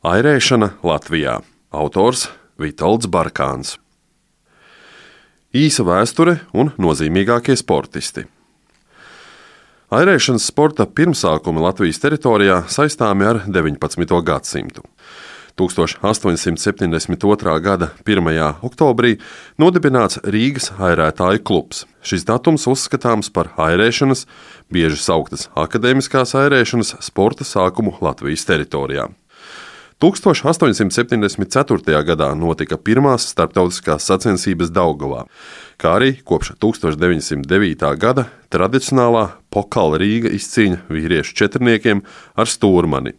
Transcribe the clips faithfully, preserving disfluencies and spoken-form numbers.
Airēšana Latvijā. Autors Vitolds Barkāns. Īsa vēsture un nozīmīgākie sportisti. Airēšanas sporta pirmsākumi Latvijas teritorijā saistāmi ar deviņpadsmito gadsimtu. tūkstoš astoņsimt septiņdesmit otrā gada pirmajā oktobrī nodibināts Rīgas airētāju klubs. Šis datums uzskatāms par airēšanas, bieži sauktas akadēmiskās airēšanas sporta sākumu Latvijas teritorijā. tūkstoš astoņsimt septiņdesmit ceturtajā gadā notika pirmās starptautiskās sacensības Daugavā, kā arī kopš tūkstoš deviņsimt devītā gada tradicionālā Pokala Rīga izcīņa vīriešu četrniekiem ar stūrmani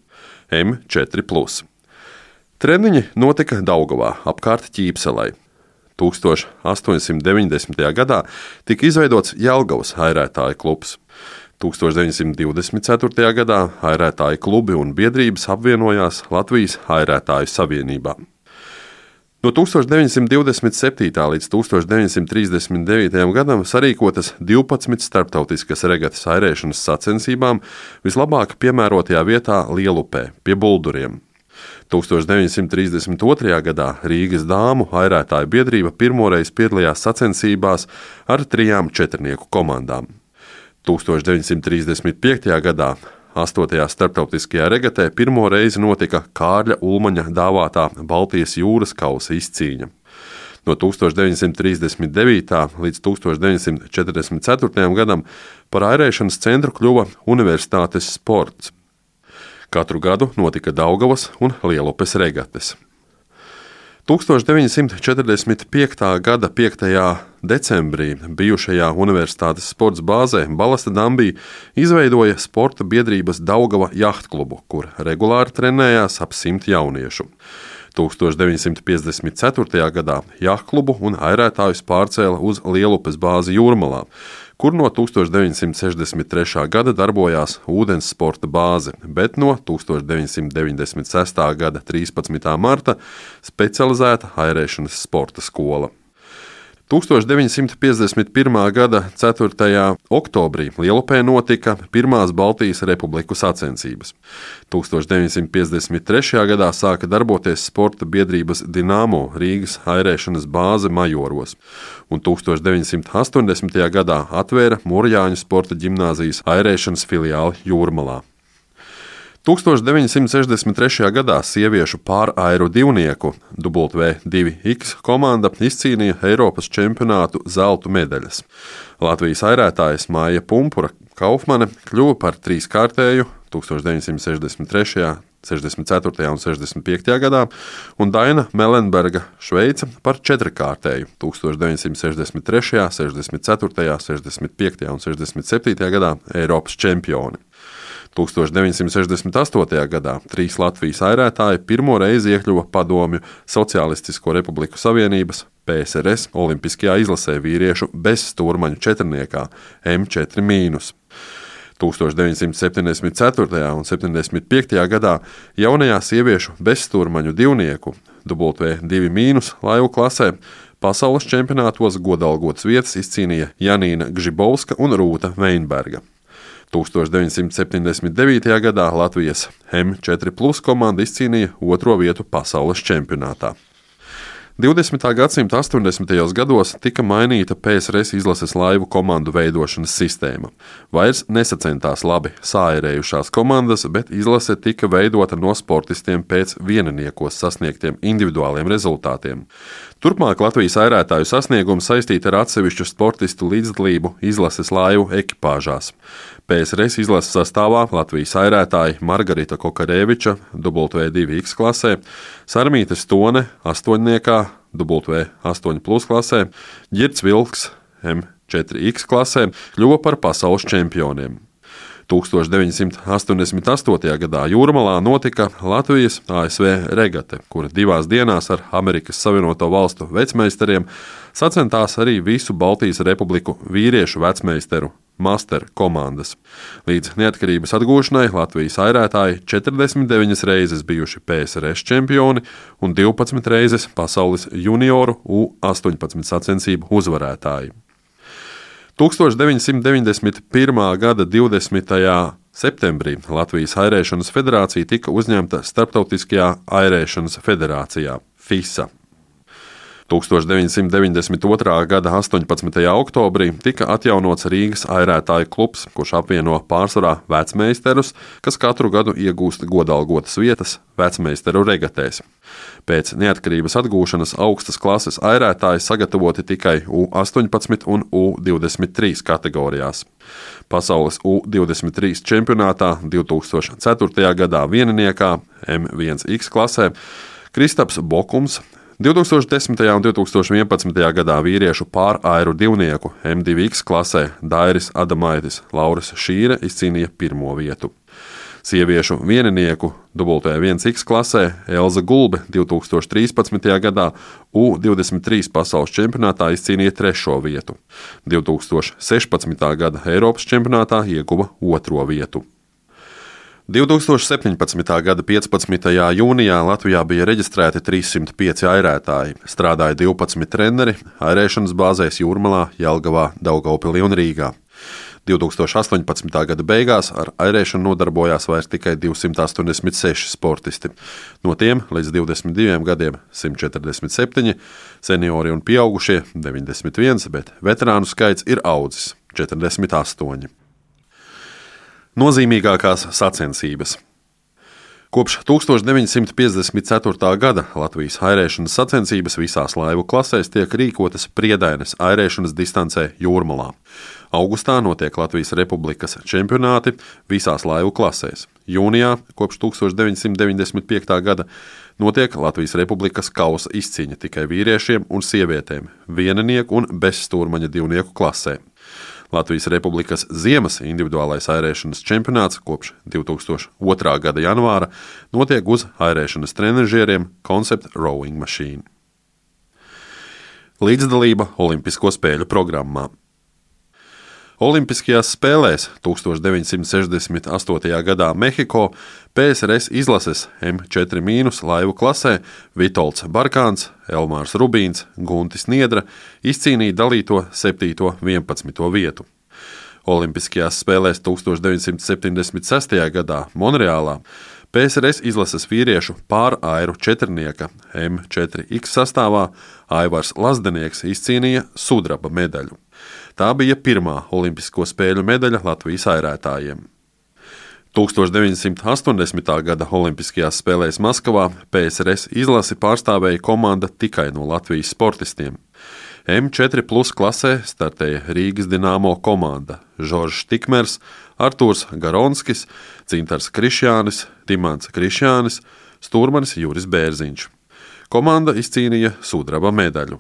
M četri plus. Treniņi notika Daugavā apkārt Ķīpselei. tūkstoš astoņsimt deviņdesmitajā gadā tika izveidots Jelgavas airētāju klubs. tūkstoš deviņsimt divdesmit ceturtajā gadā airētāju klubi un biedrības apvienojās Latvijas airētāju savienībā. No tūkstoš deviņsimt divdesmit septītā līdz tūkstoš deviņsimt trīsdesmit devītajam gadam sarīkotas divpadsmit starptautiskas regatas airēšanas sacensībām vislabāk piemērotajā vietā Lielupē pie Bulduriem. tūkstoš deviņsimt trīsdesmit otrajā gadā Rīgas dāmu airētāju biedrība pirmoreiz piedalījās sacensībās ar trijām četrnieku komandām. tūkstoš deviņsimt trīsdesmit piektajā gadā astotajā starptautiskajā regatē pirmo reizi notika Kārļa Ulmaņa dāvātā Baltijas jūras kausa izcīņa. No tūkstoš deviņsimt trīsdesmit devītā līdz tūkstoš deviņsimt četrdesmit ceturtajam gadam par airēšanas centru kļuva Universitātes sports. Katru gadu notika Daugavas un Lielupes regates. tūkstoš deviņsimt četrdesmit piektā gada piektajā decembrī bijušajā Universitātes sports bāzē Balasta Dambī izveidoja sporta biedrības Daugava jahtklubu, kur regulāri trenējās ap simt jauniešu. tūkstoš deviņsimt piecdesmit ceturtajā gadā jahtklubu un airētājus pārcēla uz Lielupes bāzi Jūrmalā, kur no tūkstoš deviņsimt sešdesmit trešā gada darbojās ūdens sporta bāze, bet no tūkstoš deviņsimt deviņdesmit sestā gada trīspadsmitā marta specializēta airēšanas sporta skola. tūkstoš deviņsimt piecdesmit pirmā gada ceturtajā oktobrī Lielupē notika pirmās Baltijas republiku sacensības. tūkstoš deviņsimt piecdesmit trešajā gadā sāka darboties sporta biedrības Dinamo Rīgas airēšanas bāze Majoros, un tūkstoš deviņsimt astoņdesmitajā gadā atvēra Murjāņu sporta ģimnāzijas airēšanas filiāli Jūrmalā. tūkstoš deviņsimt sešdesmit trešajā gadā sieviešu pārairu divnieku W divi X komanda izcīnīja Eiropas čempionātu zelta medaļas. Latvijas airētājas Māja Pumpura Kaufmane kļuva par trīskārtēju tūkstoš deviņsimt sešdesmit trešajā, sešdesmit ceturtajā un sešdesmit piektajā gadā, un Daina Melenberga Šveica par četrkārtēju tūkstoš deviņsimt sešdesmit trešajā, sešdesmit ceturtajā, sešdesmit piektajā un sešdesmit septītajā gadā Eiropas čempioni. tūkstoš deviņsimt sešdesmit astotajā gadā trīs Latvijas airētāji pirmo reizi iekļuva Padomju Socialistisko Republiku Savienības P S R S olimpiskajā izlasē vīriešu bez stūrmaņu četrniekā M četri mīnus. tūkstoš deviņsimt septiņdesmit ceturtajā un septiņdesmit piektajā gadā jaunajā sieviešu bez stūrmaņu divnieku W divi mīnus laivu klasē pasaules čempionātos godalgotas vietas izcīnīja Janīna Gžibovska un Rūta Veinberga. tūkstoš deviņsimt septiņdesmit devītajā gadā Latvijas M četri plus komanda izcīnīja otro vietu pasaules čempionātā. divdesmitā gadsimta astoņdesmitajos gados tika mainīta P S R S izlases laivu komandu veidošanas sistēma. Vairs nesacentās labi sāirējušās komandas, bet izlase tika veidota no sportistiem pēc vieniniekos sasniegtiem individuāliem rezultātiem. Turpmāk Latvijas airētāju sasniegumi saistīti ar atsevišķu sportistu līdzdalību izlases laivu ekipāžās. P S R S izlases sastāvā Latvijas airētāji Margarita Kokarēviča W divi X klasē, Sarmīte Stone astoņniekā W astoņi plus klasē, Ģirds Vilks M četri X klasē kļuva par pasaules čempioniem. tūkstoš deviņsimt astoņdesmit astotajā gadā Jūrmalā notika Latvijas A S V regate, kura divās dienās ar Amerikas Savienoto Valstu vecmeistariem sacentās arī visu Baltijas republiku vīriešu vecmeistaru master komandas. Līdz neatkarības atgūšanai Latvijas airētāji četrdesmit deviņas reizes bijuši P S R S čempioni un divpadsmit reizes pasaules junioru U astoņpadsmit sacensību uzvarētāji. tūkstoš deviņsimt deviņdesmit pirmā gada divdesmitajā Septembrī Latvijas Airēšanas federācija tika uzņemta Starptautiskajā airēšanas federācijā FISA. tuksmš deviņsimt deviņdesmit otrā gada astoņpadsmitajā oktobrī tika atjaunots Rīgas airētāju klubs, kurš apvieno pārsvarā vecmeisterus, kas katru gadu iegūst godalgotas vietas vecmeisteru regatēs. Pēc neatkarības atgūšanas augstas klases airētāji sagatavoti tikai U astoņpadsmit un U divdesmit trīs kategorijās. Pasaules U divdesmit trīs čempionātā divtūkstoš ceturtajā gadā vieniniekā M viens X klasē Kristaps Bokums, divtūkstoš desmitajā un divtūkstoš vienpadsmitajā gadā vīriešu pārairu divnieku M divi X klasē Dairis Adamaitis Lauris Šīre izcīnīja pirmo vietu. Sieviešu vieninieku W viens X klasē Elza Gulbe divtūkstoš trīspadsmitajā gadā U divdesmit trīs pasaules čempionātā izcīnīja trešo vietu. divtūkstoš sešpadsmitā gada Eiropas čempionātā ieguva otro vietu. divtūkstoš septiņpadsmitā gada piecpadsmitajā jūnijā Latvijā bija reģistrēti trīssimt pieci airētāji, strādāja divpadsmit treneri airēšanas bāzēs Jūrmalā, Jelgavā, Daugavpilī un Rīgā. divtūkstoš astoņpadsmitā gada beigās ar airēšanu nodarbojās vairs tikai divsimt astoņdesmit seši sportisti. No tiem līdz divdesmit diviem gadiem simt četrdesmit septiņi, seniori un pieaugušie deviņdesmit viens, bet veterānu skaits ir audzis četrdesmit astoņi. Nozīmīgākās sacensības. Kopš tuksmš deviņsimt piecdesmit ceturtā gada Latvijas airēšanas sacensības visās laivu klasēs tiek rīkotas Priedaines airēšanas distancē Jūrmalā. Augustā notiek Latvijas Republikas čempionāti visās laivu klasēs. Jūnijā, kopš tuksmš deviņsimt deviņdesmit piekta gada, notiek Latvijas Republikas kausa izcīņa tikai vīriešiem un sievietēm, vieninieku un bezstūrmaņa divnieku klasē. Latvijas Republikas ziemas individuālais airēšanas čempionāts kopš divtūkstoš otrā gada janvāra notiek uz airēšanas trenažieriem Concept Rowing Machine. Līdzdalība Olimpisko spēļu programmā. Olimpiskajās spēlēs tuksmš deviņsimt sešdesmit astotajā gadā Mehiko P S R S izlases M četri mīnus laivu klasē Vitolds Barkāns, Elmārs Rubīns, Guntis Niedra izcīnīja dalīto septīto vienpadsmito vietu. Olimpiskajās spēlēs tuksmš deviņsimt septiņdesmit sestajā gadā Monreālā P S R S izlases vīriešu pārairu četrnieka M četri X sastāvā Aivars Lazdenieks izcīnīja sudraba medaļu. Tā bija pirmā olimpisko spēļu medaļa Latvijas airētājiem. tuksmš deviņsimt astoņdesmitā gada Olimpiskajās spēlēs Maskavā P S R S izlasi pārstāvēja komanda tikai no Latvijas sportistiem. M četri plus klasē startēja Rīgas Dināmo komanda Žoržs Tikmers, Artūrs Garonskis, Cintars Krišjānis, Dimants Krišjānis, stūrmanis Juris Bērziņš. Komanda izcīnīja sudraba medaļu.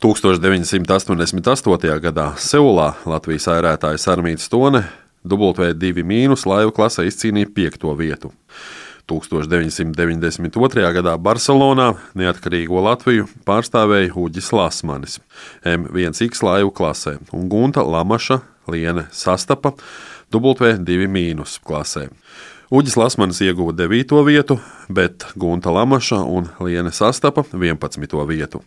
tuksmš deviņsimt astoņdesmit astotajā gadā Seulā Latvijas airētājs Armīts Stone W divi mīnus laivu klasē izcīnīja piekto vietu. tuksmš deviņsimt deviņdesmit otrajā gadā Barcelonā neatkarīgo Latviju pārstāvēja Uģis Lasmanis M viens X laivu klasē un Gunta Lamaša Liene Sastapa W divi mīnus klasē. Uģis Lasmanis ieguva devīto vietu, bet Gunta Lamaša un Liene Sastapa vienpadsmito vietu.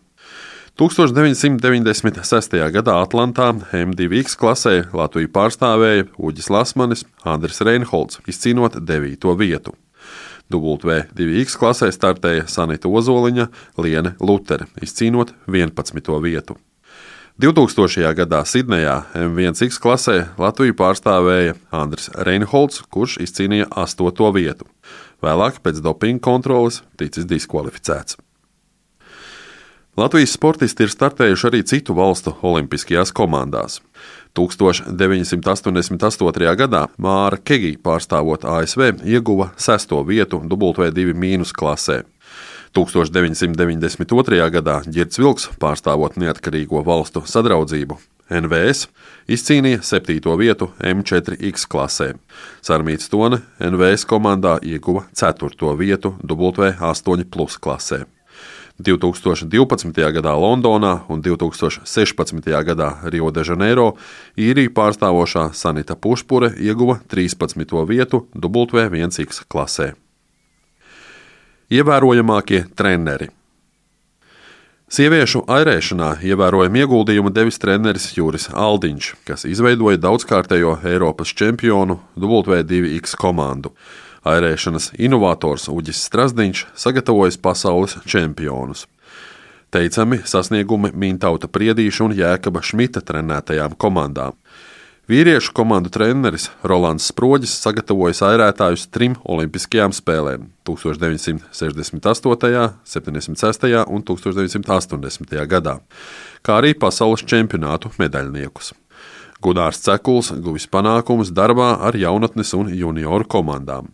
tuksmš deviņsimt deviņdesmit sestajā gadā Atlantā M divi X klasē Latviju pārstāvēja Uģis Lasmanis, Andris Reinholds, izcīnot devīto vietu. W divi X klasē startēja Sanita Ozoliņa, Liene Lutere, izcīnot vienpadsmito vietu. divtūkstošajā gadā Sidnejā M viens X klasē Latviju pārstāvēja Andris Reinholds, kurš izcīnīja astoto vietu. Vēlāk pēc dopinga kontroles ticis diskvalificēts. Latvijas sportisti ir startējuši arī citu valstu olimpiskajās komandās. tuksmš deviņsimt astoņdesmit astotajā gadā Māra Kegi pārstāvot A S V ieguva sesto vietu W divi mīnus klasē. tuksmš deviņsimt deviņdesmit otrajā gadā Ģirds Vilks pārstāvot neatkarīgo valstu sadraudzību N V S izcīnīja septīto vietu M četri X klasē. Sarmīts Stone N V S komandā ieguva ceturto vietu W astoņi plus klasē. divtūkstoš divpadsmitajā gadā Londonā un divtūkstoš sešpadsmitajā gadā Rio de Janeiro īriju pārstāvošā Sanita Pušpure ieguva trīspadsmito vietu W viens X klasē. Ievērojamākie treneri. Sieviešu airēšanā ievērojumu ieguldījumu devis treneris Juris Aldiņš, kas izveidoja daudzkārtējo Eiropas čempionu W two X komandu. Airēšanas inovators Uģis Strazdiņš sagatavojis pasaules čempionus. Teicami sasniegumi Mintauta Priedīša un Jēkaba Šmita trenētajām komandām. Vīriešu komandu treneris Rolands Sproģis sagatavojis airētājus trim olimpiskajām spēlēm – deviņpadsmit sešdesmit astotajā, septiņdesmit sestajā un deviņpadsmit astoņdesmitajā gadā, kā arī pasaules čempionātu medaļniekus. Gunārs Cekuls guvis panākumus darbā ar jaunatnes un junioru komandām.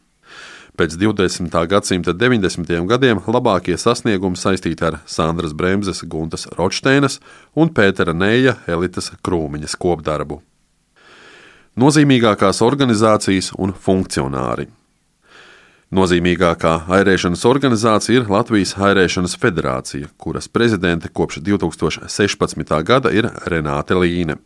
Pēc divdesmitā gadsimta deviņdesmitajiem gadiem labākie sasniegumi saistīti ar Sandras Bremzes, Guntas Rotšteinas un Pētera Neja Elitas Krūmiņas kopdarbu. Nozīmīgākās organizācijas un funkcionāri. Nozīmīgākā airēšanas organizācija ir Latvijas Airēšanas federācija, kuras prezidente kopš divtūkstoš sešpadsmitā gada ir Renāte Līne.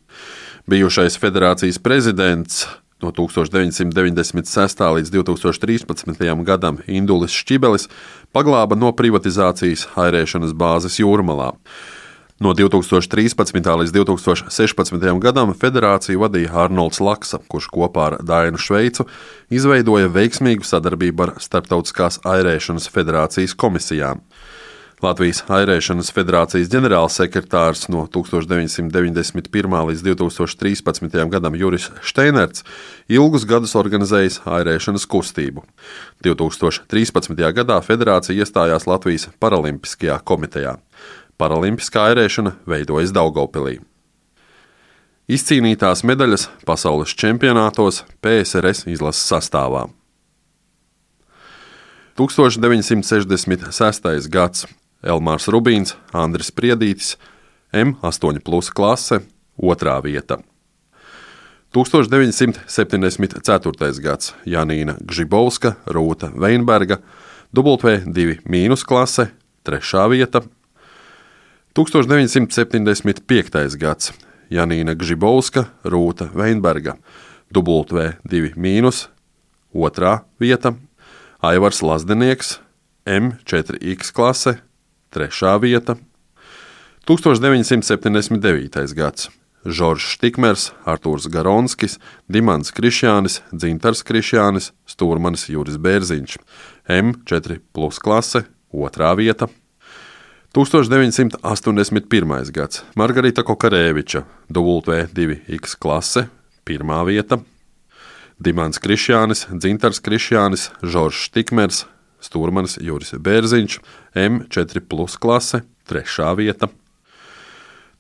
Bijušais federācijas prezidents no tūkstoš deviņsimt deviņdesmit sestā līdz divtūkstoš trīspadsmitajam gadam Indulis Šķibelis paglāba no privatizācijas airēšanas bāzes Jūrmalā. No divtūkstoš trīspadsmitā līdz divtūkstoš sešpadsmitajam gadam federāciju vadīja Arnolds Laksa, kurš kopā ar Dainu Šveicu izveidoja veiksmīgu sadarbību ar Starptautiskās airēšanas federācijas komisijām. Latvijas Airēšanas federācijas ģenerālsekretārs no tūkstoš deviņsimt deviņdesmit pirmā līdz divtūkstoš trīspadsmitajam gadam Juris Šteinerts ilgus gadus organizējis airēšanas kustību. divtūkstoš trīspadsmitajā gadā federācija iestājās Latvijas Paralimpiskajā komitejā. Paralimpiskā airēšana veidojas Daugavpilī. Izcīnītās medaļas pasaules čempionātos P S R S izlases sastāvā. tūkstoš deviņsimt sešdesmit sestais gads Elmārs Rubīns, Andris Priedītis, M astoņi plus klase, otrā vieta. tūkstoš deviņsimt septiņdesmit ceturtais gads Janīna Gžibovska, Rūta Veinberga, W two mīnus klase, trešā vieta. tūkstoš deviņsimt septiņdesmit piektais gads Janīna Gžibovska, Rūta Veinberga, W two mīnus, otrā vieta. Aivars Lazdenieks, M four X klase, trešā vieta. tūkstoš deviņsimt septiņdesmit devītais gads Žoržs Tikmers, Artūrs Garonskis, Dimants Krišjānis, Dzintars Krišjānis, Stūrmanis Juris Bērziņš, M four plus klase, otrā vieta. tūkstoš deviņsimt astoņdesmit pirmais gads Margarita Kokarēviča, W two X klase, pirmā vieta. Dimants Krišjānis, Dzintars Krišjānis, Žoržs Tikmers, Stūrmanis Juris Bērziņš, M four plus klase, trešā vieta.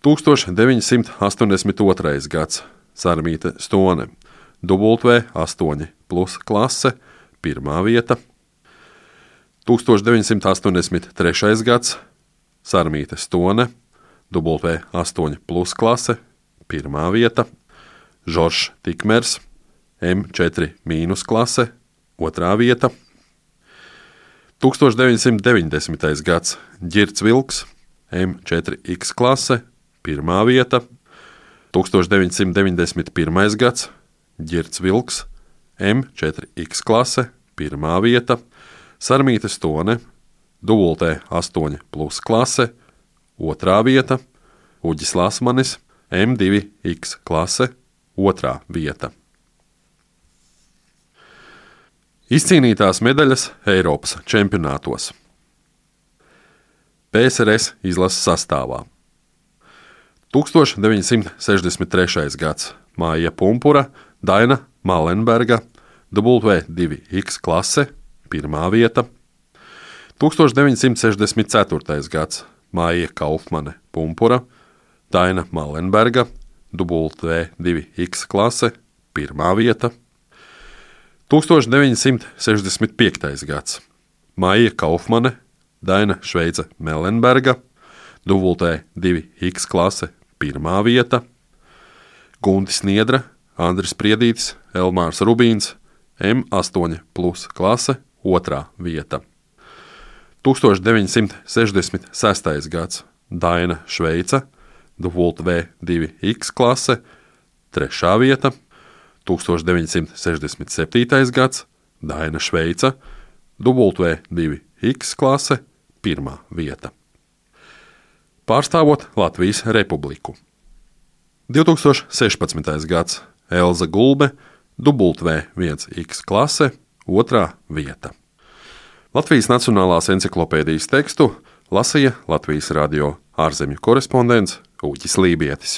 tūkstoš deviņsimt astoņdesmit otrais gads Sarmīte Stone, W eight plus klase, pirmā vieta. tūkstoš deviņsimt astoņdesmit trešais gads Sarmīte Stone, W eight plus klase, pirmā vieta. Žoržs Tikmers, M four mīnus klase, otrā vieta. tūkstoš deviņsimt deviņdesmitais gads Ģirds Vilks, M four X klase, pirmā vieta. tūkstoš deviņsimt deviņdesmit pirmais gads Ģirds Vilks, M four X klase, pirmā vieta. Sarmīte Stone, W eight plus klase, otrā vieta. Uģis Lasmanis, M two X klase, otrā vieta. Izcīnītās medaļas Eiropas čempionātos. P S R S izlases sastāvā. tūkstoš deviņsimt sešdesmit trešais gads Māja Pumpura, Daina Malenberga, W two X klase, pirmā vieta. tūkstoš deviņsimt sešdesmit ceturtais gads Māja Kaufmane Pumpura, Daina Malenberga, W two X klase, pirmā vieta. tūkstoš deviņsimt sešdesmit piektais gads Māja Kaufmane, Daina Šveice Melenberga, W two X klase, pirmā vieta. Guntis Niedra, Andris Priedītis, Elmārs Rubīns, M astoņi plus klase, otrā vieta. tūkstoš deviņsimt sešdesmit sestais gads Daina Šveice, W two X klase, trešā vieta. tūkstoš deviņsimt sešdesmit septītais gads Daina Šveice, W two X klase, pirmā vieta. pārstāvot Latvijas Republiku. divtūkstoš sešpadsmitais gads – Elza Gulbe, W viens X klase, otrā vieta. Latvijas Nacionālās enciklopēdijas tekstu lasīja Latvijas radio ārzemju korespondents Uģis Lībietis.